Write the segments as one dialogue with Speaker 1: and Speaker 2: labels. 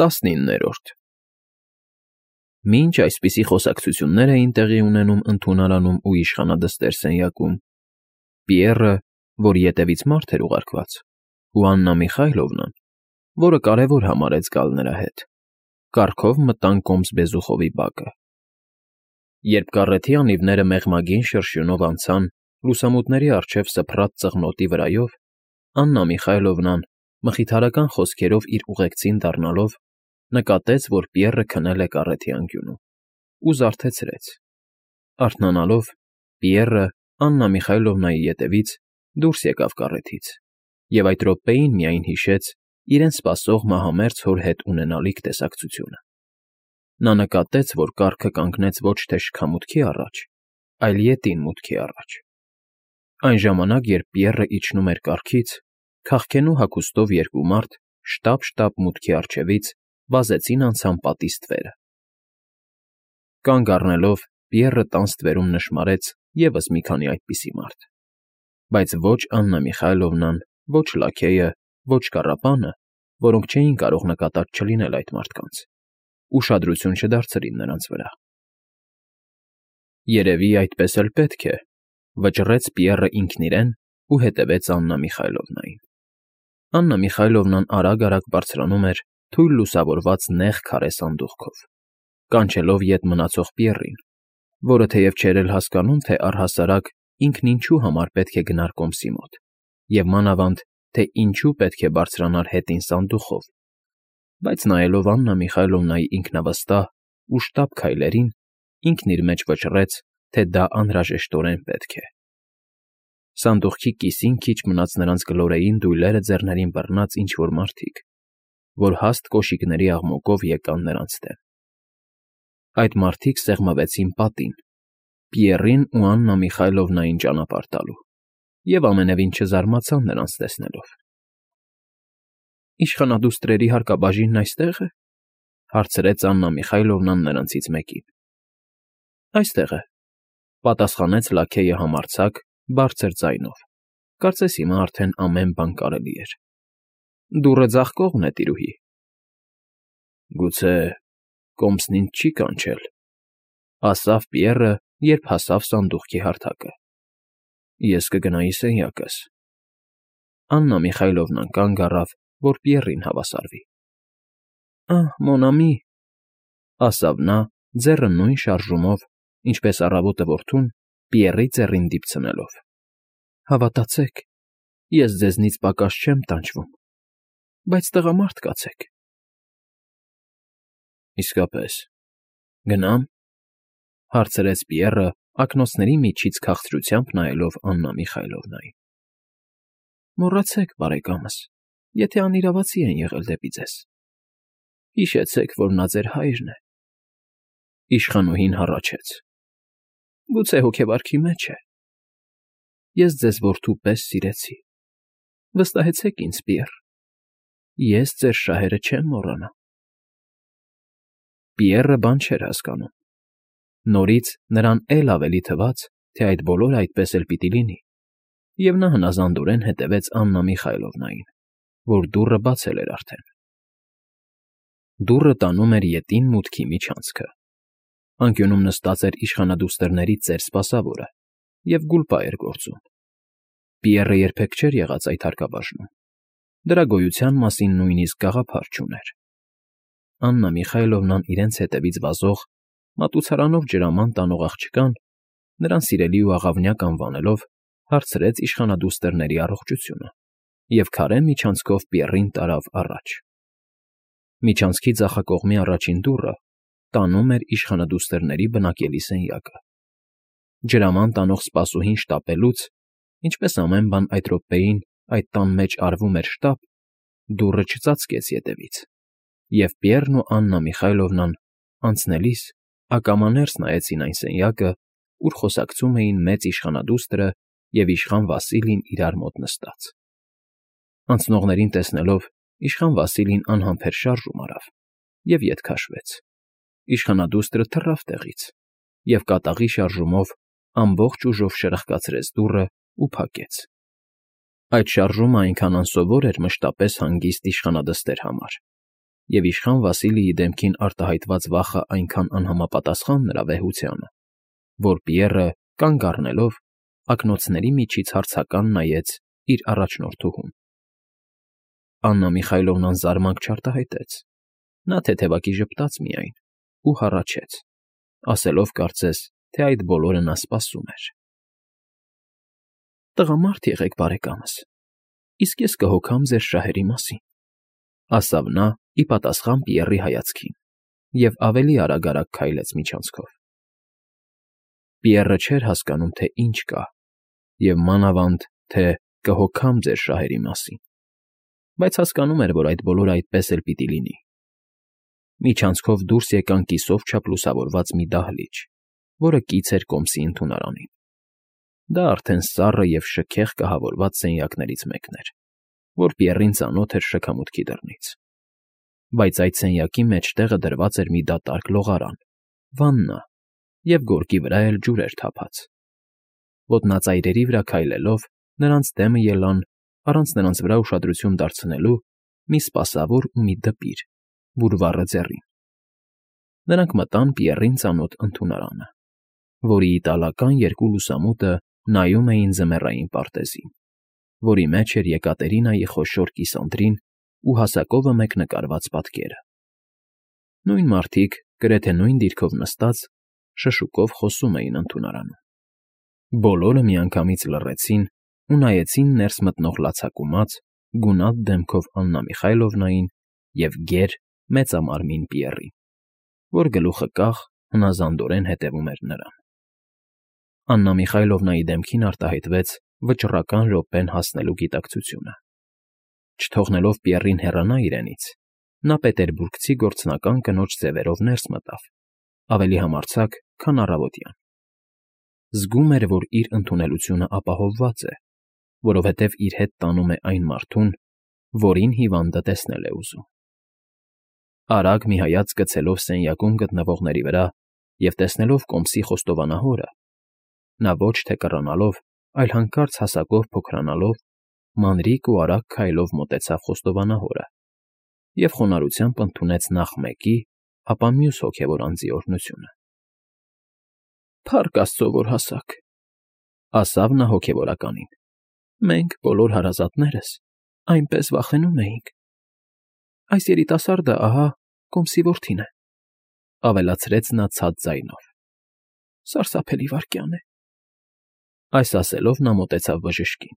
Speaker 1: 19-րդ Մինչ այսպիսի խոսակցություններ էին տեղի ունենում ընդունարանում ու իշխանադստեր սենյակում, Պիեռը, որ ետևից մարդ էր ուղարկված, ու Աննա Միխայլովնան, որը կարևոր համարեց գալ նրա հետ, կառքով մտան կոմս Բեզուխովի բակը։ Երբ կառեթի անիվները մեղմագին շրշյունով անցան լուսամուտների առջև սփռած ծղնոտի վրայով, Աննա Միխայլովնան, մխիթարական խոսքերով իր ուղեկցին դառնալով, նկատեց, որ Պիեռը քնել է կառեթի անկյունում, ու զարթեցրեց։ Արթնանալով, Պիեռը Աննա Միխայլովնայի ետևից դուրս եկավ կառեթից և այդ րոպեին միայն հիշեց իրեն սպասող մահամերձ հոր հետ ունենալիք տեսակցությունը։ Նա նկատեց, որ կառքը կանգնեց ոչ թե շքամուտքի առաջ, այլ ետին մուտքի առաջ։ Այն ժամանակ, երբ Պիեռը իջնում էր կառքից, քաղքենու հագուստով երկու մարդ շտապ-շտապ մուտքի առջևից վազեցին անցան պատի ստվերը։ Կանգ առնելով, Պիեռը տան ստվերում նշմարեց ևս մի քանի այդպիսի մարդ, բայց ոչ Աննա Միխայլովնան, ոչ լաքեյը, ոչ կառապանը, որոնք չէին կարող նկատած չլինել այդ մարդկանց, ուշադրություն չդարձրին նրանց վրա։ Երևի այդպես էլ պետք է, վճռեց Պիեռը ինքն իրեն ու հետևեց Աննա Միխայլովնային։ Աննա Միխայլովնան արագ-արագ բարձրանում էր թույլ լուսավորված նեղ քարե սանդուղքով, կանչելով ետ մնացող Պիեռին, որը թեև չէր էլ հասկանում, թե առհասարակ ինքն ինչու համար պետք է գնար կոմսի մոտ, և մանավանդ, թե ինչու պետք է բարձրանար հետին սանդուղքով, բայց նայելով Աննա Միխայլովնայի ինքնավստահ ու շտապ քայլերին, ինքն իր մեջ վճռեց, թե դա անհրաժեշտորեն պետք է։ Սանդուղքի կիսին քիչ մնաց նրանց գլորեին դույլերը ձեռներին բռնած ինչ֊որ մարդիկ, որ հաստ կոշիկների աղմուկով եկան նրանց դեմ։ Այդ մարդիկ սեղմվեցին պատին, Պիեռին ու Աննա Միխայլովնային ճանապարհ տալու, և ամենևին չզարմացան նրանց տեսնելով։ Իշխանադուստրերի հարկաբաժինն այստե՞ղ է,֊ հարցրեց Աննա Միխայլովնան նրանցից մեկին։ Այստեղ է,֊ պատասխանեց լաքեյը համարձակ, բարձր ձայնով, կարծես հիմա արդեն ամեն բան կարելի էր։ Դուռը ձախ կողմն է, տիրուհի։ Գուցե կոմսն ինձ չի կանչել,֊ ասավ Պիեռը, երբ հասավ սանդուղքի հարթակը։ Ես կգնայի սենյակս։ Աննա Միխայլովնան կանգ առավ, որ Պիեռին հավասարվի։ Ահ, մոն ամի,֊ ասավ նա, ձեռը նույն շարժումով, ինչպես առավոտը որդուն, Պիեռի ծառին դիպցնելով։ Հավատացեք, ես ձեզնից պակաս չեմ տանջվում, բայց տղամարդ կացեք։ Իսկապես, գնա՞մ,֊ հարցրեց Պիեռը, ակնոցների միջից քաղցրությամբ նայելով Աննա Միխայլովնային։ Մոռացեք, բարեկամս, եթե անիրավացի են եղել դեպի ձեզ։ Հիշեցեք, որ նա ձեր հայրն է։ Իշխանուհին հառաչեց։ Գուցե հոգեվարքի մեջ է։ Ես ձեզ որդու պես սիրեցի։ Վստահեցեք ինձ, Պիեռ, ես ձեր շահերը չեմ մոռանա։ Պիեռը բան չէր հասկանում։ Նորից նրան էլ ավելի թվաց, թե այդ բոլորը այդպես էլ պիտի լինի, և նա հնազանդորեն հետևեց Աննա Միխայլովնային, որ դուռը բացել էր արդեն։ Դուռը տանում էր ետին մուտքի միջանցքը։ Անկյունում նստած էր իշխանադուստրներից ծեր սպասավորը և գուլպա էր գործում։ Պիեռը երբեք չէր եղած այդ հարկաբաժնում։ Դրա գոյության մասին նույնիսկ գաղափար չուներ։ Աննա Միխայլովնան իրենց հետևից վազող, մատուցարանով ջրաման տանող աղջկան, նրան սիրելի ու աղավնյակ անվանելով, հարցրեց իշխանադուստրների առողջությունը և քարե միջանցքով Պիեռին տարավ առաջ։ Միջանցքի ձախակողմի առաջին դուռը տանում էր իշխանադուստրների բնակելի սենյակը։ Ջրաման տանող սպասուհին շտապելուց, ինչպես ամեն բան այդ րոպեին այդ տան մեջ արվում էր շտապ, դուռը չծածկեց ետևից, և Պիեռն ու Աննա Միխայլովնան անցնելիս ակամաներս նայեցին այն սենյակը, ուր խոսակցում էին մեծ իշխանադուստրը և իշխան Վասիլին իրար մոտ նստած։ Անցնողներին տեսնելով, իշխան Վասիլին անհամբեր շարժում արավ և ետ քաշվեց։ Իշխանադուստրը թռավ տեղից և կատաղի շարժումով ամբողջ ուժով շրխկացրեց դուռը ու փակեց։ Այդ շարժումն այնքան անսովոր էր մշտապես հանգիստ իշխանադստեր համար, Եվ իշխան Վասիլիի դեմքին արտահայտված վախը այնքան անհամապատասխան նրա վեհությանը, որ Պիեռը, կանգ առնելով, ակնոցների միջից հարցական նայեց իր առաջնորդուհուն։ Աննա Միխայլովնան զարմանք չարտահայտեց, նա թեթևակի ժպտաց միայն ու հառաչեց, ասելով կարծես, թե այդ բոլորը նա սպասում էր։ «Տղամարդ եղեք, բարեկամս, իսկ ես կհոգամ ձեր շահերի մասին», ասավ նա ի պատասխան Պիեռի հայացքին և ավելի արագ քայլեց միջանցքով։ Պիեռը չէր հասկանում, թե ինչ կա, և մանավանդ, թե կհոգամ ձեր շահերի մասին, բայց հասկանում էր, որ այդ բոլորը այդպես էլ պիտի լինի։ Միջանցքով դուրս եկան կիսով չափ լուսավորված մի դահլիճ, որը կից էր կոմսի ընդունարանին։ Դա արդեն սառը և շքեղ կահավորված սենյակներից մեկն էր, որ Պիեռին ծանոթ էր շքամուտքի դռնից։ Բայց այդ սենյակի մեջտեղը դրված էր մի դատարկ լողարան, վաննա, և գորգի վրա էլ ջուր էր թափած։ Ոտնածայրերի վրա քայլելով՝ նրանց դեմը ելան, առանց նրանց վրա ուշադրություն դարձնելու, մի սպասավոր ու մի դպիր, բուրվառը ձեռին։ Նրանք մտան Պիեռին ծանոթ ընդունարանը, որի իտալական երկու լուսամուտը նայում էին ձմեռային պարտեզին, որի մեջ էր Եկատերինայի խոշոր կիսանդրին ու հասակովը մեկ նկարված պատկերը։ Նույն մարդիկ, գրեթե նույն դիրքով նստած, շշուկով խոսում էին ընդունարանում։ Բոլորը միանգամից լռեցին ու նայեցին ներս մտնող լացակումած, գունատ դեմքով Աննա Միխայլովնային և գեր, մեծամարմին Պիեռին, որ գլուխը կախ, հնազանդորեն հետևում էր նրան։ Աննա Միխայլովնայի դեմքին արտահայտվեց վճռական րոպեն հասնելու գիտակցությունը։ Չթողնելով Պիեռին հեռանա իրենից, նա պետերբուրգցի գործնական կնոջ ձևերով ներս մտավ, ավելի համարձակ, քան առավոտյան։ Զգում էր, որ իր ընդունելությունը ապահովված է, որովհետև իր հետ տանում է այն մարդուն, որին հիվանդը տեսնել է ուզում։ Արագ մի հայացք գցելով սենյակում գտնվողների վրա և տեսնելով կոմսի խոստովանահորը, նա ոչ թե կռանալով, այլ հանկարծ հասակով փոքրանալով, մանրիկ ու արագ քայլով մոտեցավ խոստովանահորը և խոնարհությամբ ընդունեց նախ մեկի, ապա մյուս հոգևոր անձի օրհնությունը։ «Փառք աստծո, որ հասաք», ասավ նա հոգևորականին։ «Մենք, բոլոր հարազատներս, այնպես վախենում էինք։ Այս երիտասարդը, ահա, կոմսի որդին է», ավելացրեց նա ցած ձայնով։ «Սարսափելի վայրկյան է»։ Այս ասելով նա մոտեցավ բժշկին։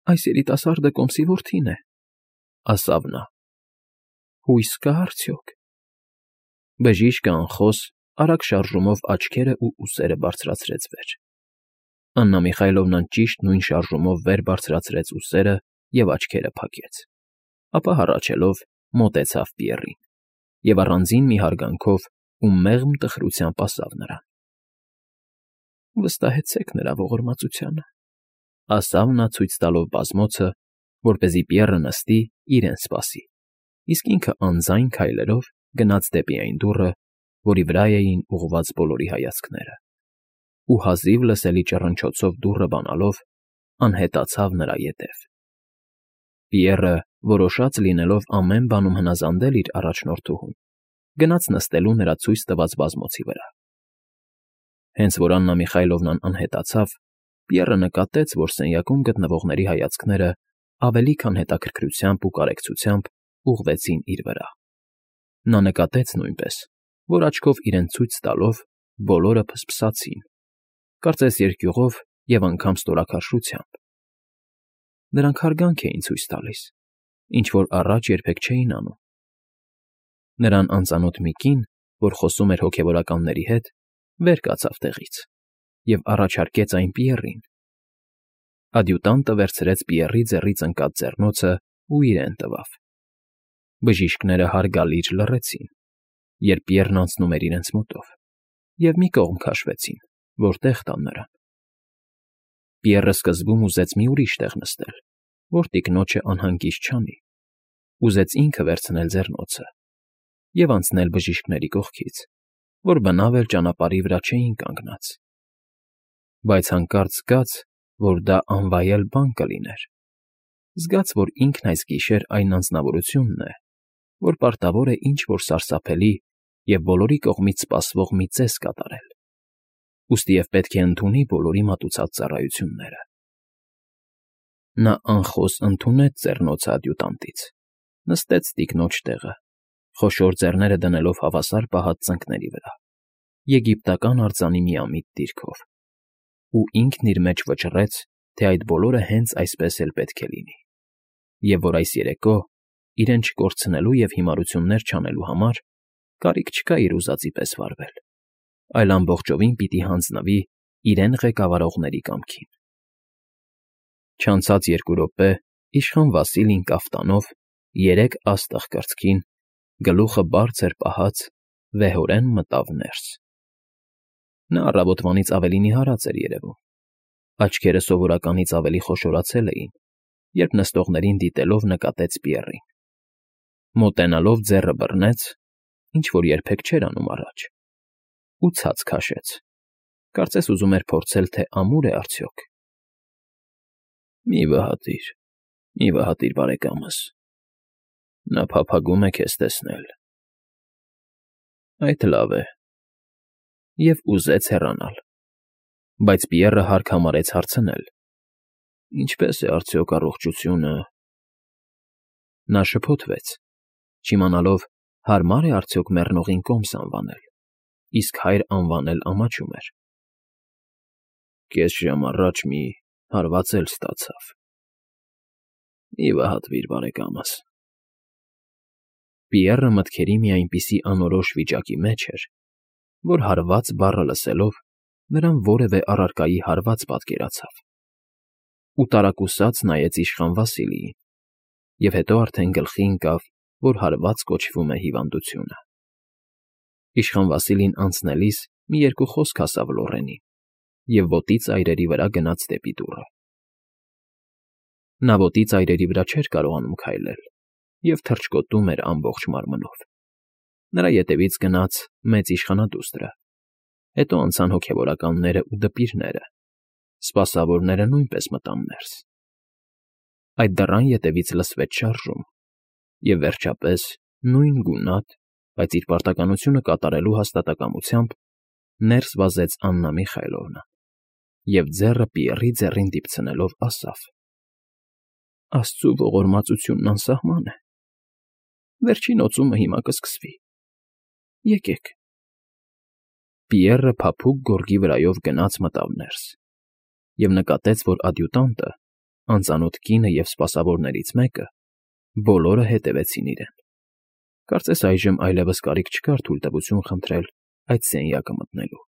Speaker 1: «Այս երիտասարդը կոմսի որդին է», ասավ նա։ «Հույս կա՞ արդյոք»։ Բժիշկը անխոս, արագ շարժումով աչքերը ու ուսերը բարձրացրեց վեր։ Աննա Միխայլովնան ճիշտ նույն շարժումով վեր բարձրացրեց ուսերը և աչքերը փակեց, ապա հառաչելով մոտեցավ Պիեռին և առանձին մի հարգանքով ու մեղմ տխրությամբ ասավ նրան. «Վստահեցեք նրա ողորմածությանը», ասավ նա ցույց տալով բազմոցը, որպեսզի Պիեռը նստի, իրեն սպասի, իսկ ինքը անձայն քայլերով գնաց դեպի այն դուռը, որի վրա էին ուղղված բոլորի հայացքները, ու հազիվ լսելի ճռնչոցով դուռը բանալով անհետացավ նրա ետև։ Պիեռը, որոշած լինելով ամեն բանում հնազանդել իր առաջնորդուհուն, գնաց նստելու նրա ցույց տված բազմոցի վրա։ Հենց որ Աննա Միխայլովնան անհետացավ, Պիեռը նկատեց, որ սենյակում գտնվողների հայացքները ավելի քան հետաքրքրությամբ ու կարեկցությամբ ուղղվեցին իր վրա։ Նա նկատեց նույնպես, որ աչքով իրեն ցույց տալով բոլորը փսփսացին, կարծես երկյուղով և անգամ ստորաքարշությամբ։ Նրանք հարգանք էին ցույց տալիս, ինչ որ առաջ երբեք չէին անում։ Նրան անծանոթ մի կին, որ խոսում էր հոգևորականների հետ, վեր կացավ տեղից և առաջարկեց այն Պիեռին։ Ադյուտանտը վերցրեց Պիեռի ձեռից ընկած ձեռնոցն ու իրեն տվավ։ Բժիշկները հարգալից լռեցին, երբ Պիեռն անցնում էր իրենց մոտով, և մի կողմ քաշվեցին, որ տեղ տան նրան։ Պիեռը սկզբում ուզեց մի ուրիշ տեղ նստել, որ տիկնոջը անհանգիստ չանի, ուզեց ինքը վերցնել ձեռնոցը և անցնել բժիշկների կողքից, որ բնավ էլ ճանապարհի վրա չէին կանգնած։ Բայց հանկարծ զգաց, որ դա անվայել բան կլիներ, զգաց, որ ինքն այս գիշեր այն անձնավորությունն է, որ պարտավոր է ինչ֊որ սարսափելի և բոլորի կողմից սպասվող մի ծես կատարել, ուստի և պետք է ընդունի բոլորի մատուցած ծառայությունները։ Նա անխոս ընդունեց ձեռնոցը ադյուտանտից, նստեց տիկնոջ տեղը, խոշոր ձեռները դնելով հավասար պահած ծնկների վրա, եգիպտական արձանի միամիտ դիրքով, ու ինքն իր մեջ վճռեց, թե այդ բոլորը հենց այսպես էլ պետք է լինի, և որ այս երեկո, իրեն չկորցնելու և հիմարություններ չանելու համար, կարիք չկա իր ուզածի պես վարվել, այլ ամբողջովին պիտի հանձնվի իրեն ղեկավարողների կամքին։ Չանցած 2 րոպե իշխան Վասիլին կաֆտանով, 3 աստղ կրծքին, գլուխը բարձր պահած, վեհորեն մտավ ներս։ Նա առավոտվանից ավելի նիհարած էր երևում, աչքերը սովորականից ավելի խոշորացել էին, երբ նստողներին դիտելով նկատեց Պիեռին։ Մոտենալով ձեռը բռնեց, ինչ֊որ երբեք չէր անում առաջ, ու ցած քաշեց, կարծես ուզում էր փորձել, թե ամուր է արդյոք։ Մի վհատիր, բարեկամս, նա փափագում է քեզ տեսնել։ Այդ լավ է, և ուզեց հեռանալ, բայց Պիեռը հարկ համարեց հարցնել. ինչպե՞ս է արդյոք առողջությունը։ Նա շփոթվեց, չիմանալով հարմա՞ր է արդյոք մեռնողին կոմս անվանել, իսկ հայր անվանել ամաչում էր։ Կես ժամ առաջ մի հարված էլ ստացավ։ Մի վհատվիր, բարեկամս։ Պիեռը մտքերի մի այնպիսի անորոշ վիճակի մեջ էր, որ հարված բառը լսելով նրան որևէ առարկայի հարված պատկերացավ, ու տարակուսած նայեց իշխան Վասիլիին, և հետո արդեն գլխի ընկավ, որ հարված կոչվում է հիվանդությունը։ Իշխան Վասիլին անցնելիս մի 2 խոսք ասավ լոռենին և ոտի ծայրերի վրա գնաց դեպի դուռը։ Նա ոտի ծայրերի վրա չէր կարողանում քայլել և թռչկոտում էր ամբողջ մարմնով։ Նրա ետևից գնաց մեծ իշխանադուստրը, հետո անցան հոգևորականներն ու դպիրները, սպասավորները նույնպես մտան ներս։ Այդ դռան ետևից լսվեց շարժում, և վերջապես նույն գունատ, բայց իր պարտականությունը կատարելու հաստատակամությամբ ներս վազեց Աննա Միխայիլովնան և ձեռը Պիեռի ձեռին դիպցնելով ասավ. «Աստծու ողորմածությունն անսահման է։ Վերջին օծումը հիմա կսկսվի։ Եկեք»։ Պիեռը փափուկ գորգի վրայով գնաց մտավ ներս և նկատեց, որ ադյուտանտը, անծանոթ կինը և սպասավորներից մեկը բոլորը հետևեցին իրեն։ Կարծես այժմ այլևս կարիք չկար թույլտվություն խնդրել այդ սենյակը մտնելու։